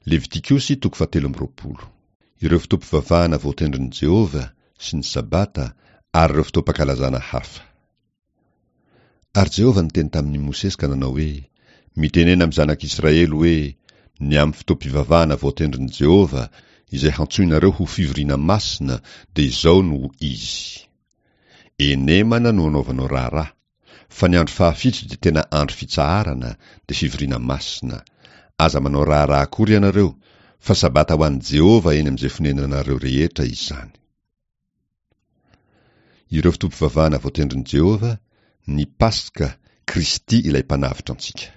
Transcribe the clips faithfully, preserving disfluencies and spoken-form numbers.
Levitikosy toko fahatelo amby roapolo. Ireo fotoam-pivavahana voatendrin'i Jehovah sy ny Sabata ary ireo fotoam-pankalazana hafa. Ary Jehovah niteny tamin'i Mosesy ka nanao hoe: Mitenena amin'ny zanak'Israely hoe: Ny amin'ny fotoam-pivavahana voatendrin'i Jehovah izay hantsoinareo ho fivoriana masina dia izao no izy. Enemana no anaovanao raharaha, fa ny andro fahafito dia tena andro fitsaharana, dia fivoriana masina. Aza manao raharaha akory ianareo, fa Sabata ho an'i Jehovah eny amin'izay fonenanareo rehetra izany. Ireo fotoam-pivavahana voatendrin'i Jehovah, ny Paska, Kristy ilay mpanavotra antsika.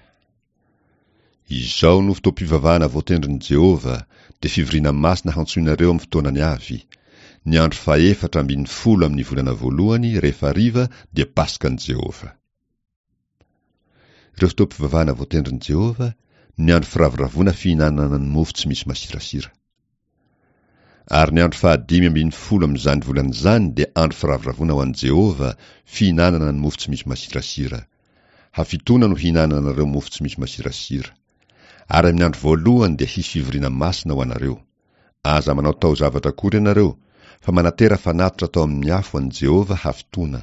Izao no fotoam-pivavahana voatendrin'i Jehovah, dia fivoriana masina hantsoinareo amin'ny fotoanany avy. Ny andro fahefatra ambin'ny folo amin'ny volana voalohany rehefa hariva dia Paskan'i Jehovah. Ireo fotoam-pivavahana voatendrin'i Jehovah, ny andro firavoravoana fihinanana ny mofo tsy misy masirasira. Ary ny andro fahadimy ambin'ny folo amin'izany volana izany dia andro firavoravoana ho an'i Jehovah, fihinanana ny mofo tsy misy masirasira. Hafitoana no hihinananareo mofo tsy misy masirasira. Ary amin'ny andro voalohany dia hisy fivoriana masina ho anareo. Aza manao taozavatra akory ianareo, fa manatera fanatitra atao amin'ny afo an'i Jehovah hafitoana.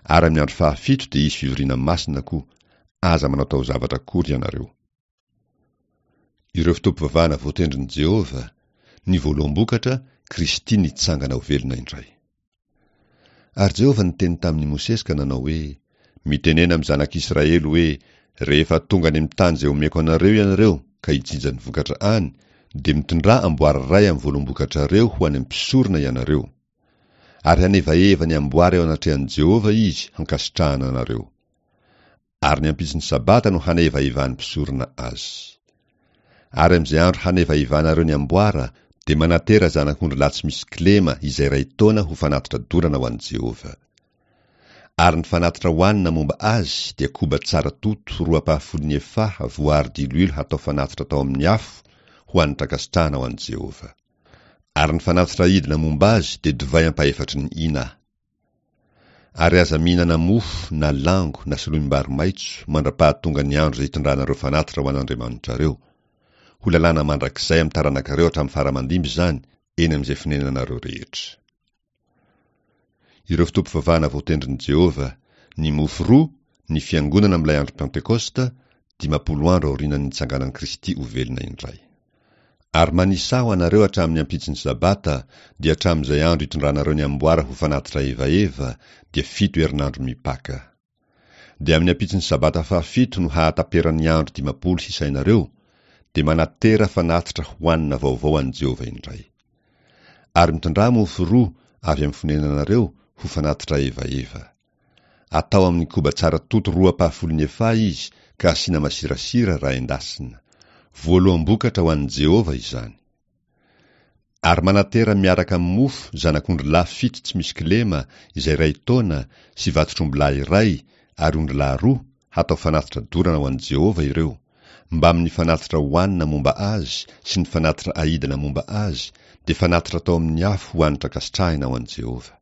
Ary amin'ny andro fahafito dia hisy fivoriana masina koa. Aza manao taozavatra akory ianareo. Ireo fotoam-pivavahana voatendrin'i Jehovah, ny voaloham-bokatra, Kristy nitsangana ho velona indray. Ary Jehovah niteny tamin'i Mosesy ka nanao hoe: Mitenena amin'ny zanak'Israely hoe: Rehefa tonga any amin'ny tany izay omeko anareo ianareo ka hijinja ny vokatra any, dia mitondrà amboara iray amin'ny voaloham-bokatrareo ho any amin'ny mpisorona ianareo. Ary hanevaheva ny amboara eo anatrehan'i Jehovah izy hankasitrahana anareo. Ary ny ampitson'ny Sabata no hanevahevan'ny mpisorona azy. Ary amin'izay andro hanevahevanareo ny amboara, dia manatera zanak'ondry lahy tsy misy kilema izay iray taona ho fanatitra dorana ho an'i Jehovah. Ary ny fanatitra hohanina momba azy dia koba tsara toto roa ampahafolon'ny efaha voaharo diloilo hatao fanatitra atao amin'ny afo ho hanitra ankasitrahana ho an'i Jehovah. Ary ny fanatitra aidina momba azy dia divay ampahefatry ny hina. Ary aza mihinana mofo na lango na soloim-bary maitso mandra-pahatonga ny andro izay hitondranareo fanatitra ho an'Andriamanitrareo. Ho lalàna mandrakizay amin'ny taranakareo hatramin'ny fara-mandimby izany eny amin'izay fonenanareo rehetra. Ireo fotoam-pivavahana voatendrin'i Jehovah, ny mofo roa, ny fiangonana amin'ilay andro Pentekosta, dimampolo andro aorian'ny nitsanganan'i Kristy ho velona indray. Ary manisà ho anareo hatramin'ny ampitson'ny Sabata, dia hatramin'izay andro hitondranareo ny amboara ho fanatitra evaheva, dia fito herinandro mipaka. Dia amin'ny ampitson'ny Sabata fahafito no hahataperan'ny andro dimampolo hisainareo, dia manatera fanatitra hohanina vaovao an'i Jehovah indray. Ary mitondrà mofo roa avy amin'ny fonenanareo ho fanatitra evaheva. Atao amin'ny koba tsara toto roa ampahafolon'ny efaha izy ka asiana masirasira raha endasina. Voaloham-bokatra ho an'i Jehovah izany. Ary manatera miaraka amin'ny mofo zanak'ondry lahy fito tsy misy kilema izay iray taona sy vatotr'ombilahy iray ary ondrilahy roa hatao fanatitra dorana ho an'i Jehovah ireo, mbamin'ny fanatitra hohanina momba azy sy ny fanatitra aidina momba azy, dia fanatitra atao amin'ny afo ho hanitra ankasitrahina ho an'i Jehovah.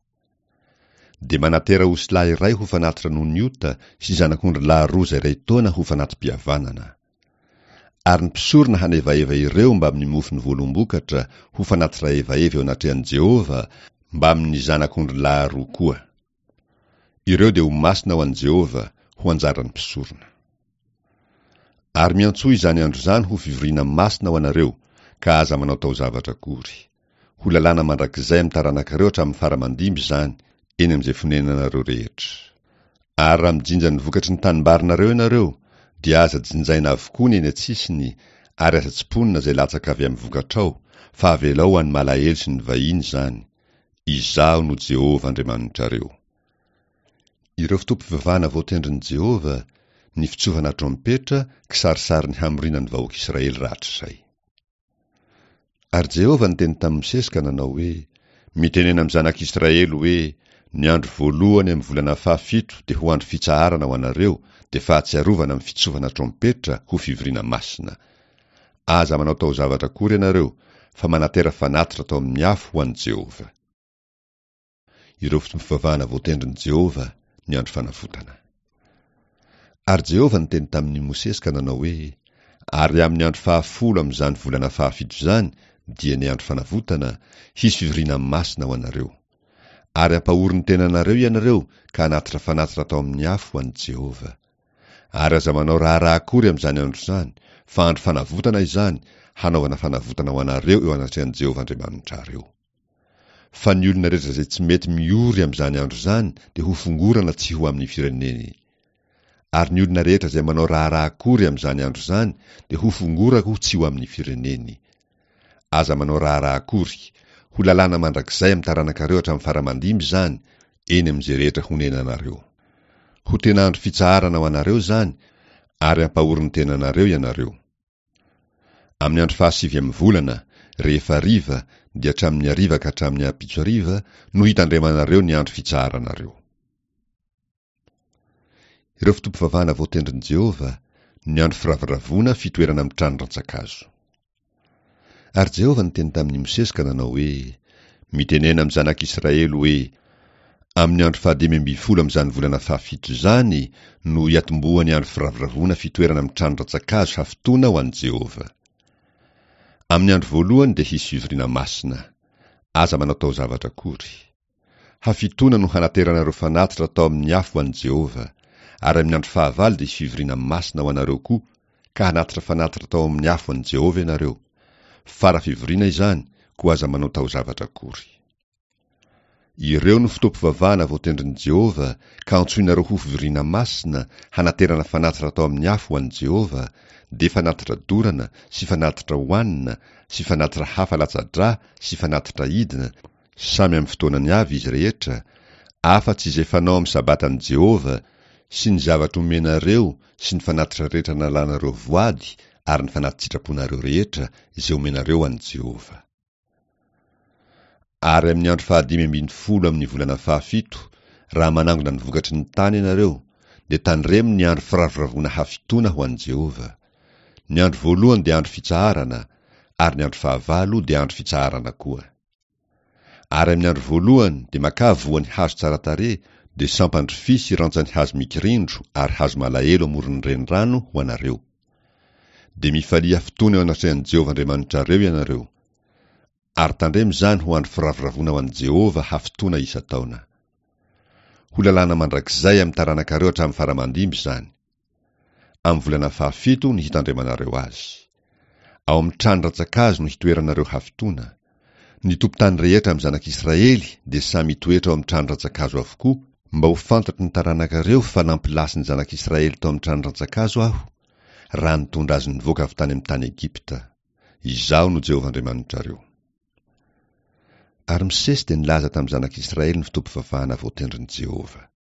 Dia manatera osilahy iray ho fanatitra noho ny ota sy zanak'ondry lahy roa izay iray taona ho fanati-pihavanana. Ary ny mpisorona hanevaheva ireo mbamin'ny mofon'ny voaloham-bokatra ho fanatitra evaheva eo anatrehan'i Jehovah mbamin'ny zanak'ondry lahy roa koa. Ireo dia ho masina ho an'i Jehovah, ho anjaran'ny mpisorona. Ary miantsoa izany andro izany ho fivoriana masina ho anareo, ka aza manao taozavatra akory. Ho lalàna mandrakizay amin'ny taranakareo hatramin'ny fara-mandimby izany, eny amin'izay fonenanareo rehetra. Ary raha mijinja ny vokatry ny tanimbarinareo ianareo, dia aza jinjaina avokoa ny eny an-tsisiny, ary aza tsimponina izay latsaka avy amin'ny vokatrao, fa avelao ho an'ny malahelo sy ny vahiny izany. Izaho no Jehovah Andriamanitrareo. Ireo fotoam-pivavahana voatendrin'i Jehovah, ny fitsofana trompetra, kisarisarin'ny hamoriana ny vahoaka Israely rahatrizay. Ary Jehovah niteny tamin'i Mosesy ka nanao hoe: Mitenena amin'ny zanak'Israely hoe: Ny andro voalohany amin'ny volana fahafito dia ho andro fitsaharana ho anareo, dia fahatsiarovana amin'ny fitsofana trompetra ho fivoriana masina. Aza manao taozavatra akory ianareo, fa manatera fanatitra atao amin'ny afo ho an'i Jehovah. Ireo fotoam-pivavahana voatendrin'i Jehovah, ny andro fanavotana. Ary Jehovah niteny tamin'i Mosesy ka nanao hoe: Ary amin'ny andro fahafolo amin'izany volana fahafito izany, dia ny andro fanavotana, hisy fivoriana masina ho anareo. Ary ampahory ny tenanareo ianareo ka hanatitra fanatitra atao amin'ny afo ho an'i Jehovah. Ary aza manao raharaha akory amin'izany andro izany, fa andro fanavotana izany, hanaovana fanavotana ho anareo eo anatrehan'i Jehovah Andriamanitrareo. Fa ny olona rehetra izay tsy mety miory amin'izany andro izany dia hofongorana tsy ho amin'ny fireneny. Ary ny olona rehetra izay manao raharaha akory amin'izany andro izany dia hofongorako tsy ho amin'ny fireneny. Aza manao raharaha akory, ho lalàna mandrakizay amin'ny taranakareo hatramin'ny fara-mandimby izany, eny amin'izay rehetra honenanareo. Ho tena andro fitsaharana ho anareo izany, ary ampahory ny tenanareo ianareo. Amin'ny andro fahasivy amin'ny volana, rehefa hariva, dia hatramin'ny hariva ka hatramin'ny ampitso hariva, no hitandremanareo ny andro fitsaharanareo. Ireo fotoam-pivavahana voatendrin'i Jehovah, ny andro firavoravoana fitoerana amin'ny trano rantsan-kazo. Ary Jehovah niteny tamin'i Mosesy ka nanao hoe, Mitenena amin'ny zanak'Israely hoe, Amin'ny andro fahadimy ambin'ny folo amin'izany volana fahafito izany no hiatombohan'ny andro firavoravoana fitoerana amin'ny trano rantsan-kazo hafitoana ho an'i Jehovah. Amin'ny andro voalohany dia hisy fivoriana masina. Aza manao taozavatra akory. Hafitoana no hanateranareo fanatitra atao amin'ny afo ho an'i Jehovah. Ary amin'ny andro fahavalo dia hisy fivoriana masina ho anareo koa, ka hanatitra fanatitra atao amin'ny afo ho an'i Jehovah ianareo. Fara fivoriana izany, koa aza manao taozavatra akory. Ireo no fotoam-pivavahana voatendrin'i Jehovah, ka antsoinareo ho fivoriana masina, hanaterana fanatitra atao amin'ny afo ho an'i Jehovah, dia fanatitra dorana sy fanatitra hohanina sy fanatitra hafa latsa-drà sy fanatitra idina, samy amin'ny fotoanany avy izy rehetra, afa-tsy izay fanao amin'ny sabatan'i Jehovah, sy ny zavatra omenareo sy ny fanatitra rehetra nalanareo voady ary ny fanati-tsitraponareo rehetra izay omenareo an'i Jehovah. Ary amin'ny andro fahadimy ambin'ny folo amin'ny volana fahafito, raha manangona ny vokatry ny tany ianareo, dia tandremo ny andro firavoravoana hafitoana ho an'i Jehovah. Ny andro voalohany dia andro fitsaharana, ary ny andro fahavalo dia andro fitsaharana koa. Ary amin'ny andro voalohany dia makà voan'ny hazo tsara tarehy, dia sampan-drofia sy rantsan'ny hazo mikirindro ary hazo malahelo amoron'ny renirano ho anareo. Dia mifalia hafitoana eo anatrehan'i Jehovah Andriamanitrareo ianareo. Ary tandremo izany ho andro firavoravoana ho an'i Jehovah hafitoana isan-taona. Ho lalàna mandrakizay amin'ny taranakareo hatramin'ny fara-mandimby izany. Amin'ny volana fahafito no hitandremanareo azy. Ao amin'ny trano rantsan-kazo no hitoeranareo hafitoana. Ny tompon-tany rehetra amin'ny zanak'Israely dia samy hitoetra ao amin'ny trano rantsan-kazo avokoa, mba ho fantatry ny taranakareo fa nampilasy ny zanak'Israely tao amin'ny trano rantsan-kazo aho, raha nitondra azy nivoaka avy tany amin'ny tany Egypta. Izaho no Jehovah Andriamanitrareo. Ary Mosesy dia nilaza tamin'ny zanak'Israely ny fotoam-pivavahana voatendrin'i Jehovah.